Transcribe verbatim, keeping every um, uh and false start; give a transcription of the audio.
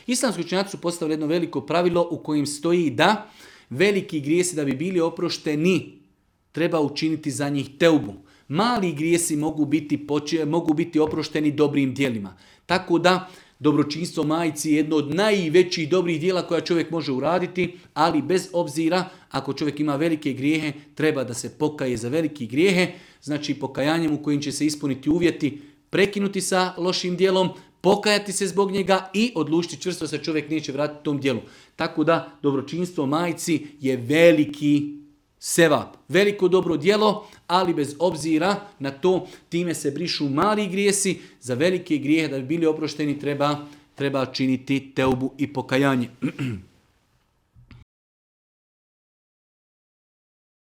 Islamski učenjaci su postavili jedno veliko pravilo u kojem stoji da veliki grijesi da bi bili oprošteni treba učiniti za njih teubu. Mali grijesi mogu biti, poče, mogu biti oprošteni dobrim djelima. Tako da dobročinstvo majci je jedno od najvećih dobrih djela koja čovjek može uraditi, ali bez obzira ako čovjek ima velike grijehe, treba da se pokaje za velike grijehe, znači pokajanjem u kojim će se ispuniti uvjeti, prekinuti sa lošim djelom, pokajati se zbog njega i odlučiti čvrsto se čovjek neće vratiti tom djelu. Tako da dobročinstvo majci je veliki sevap, veliko dobro djelo, ali bez obzira na to time se brišu mali grijesi, za velike grijehe da bi bili oprošteni treba, treba činiti teubu i pokajanje.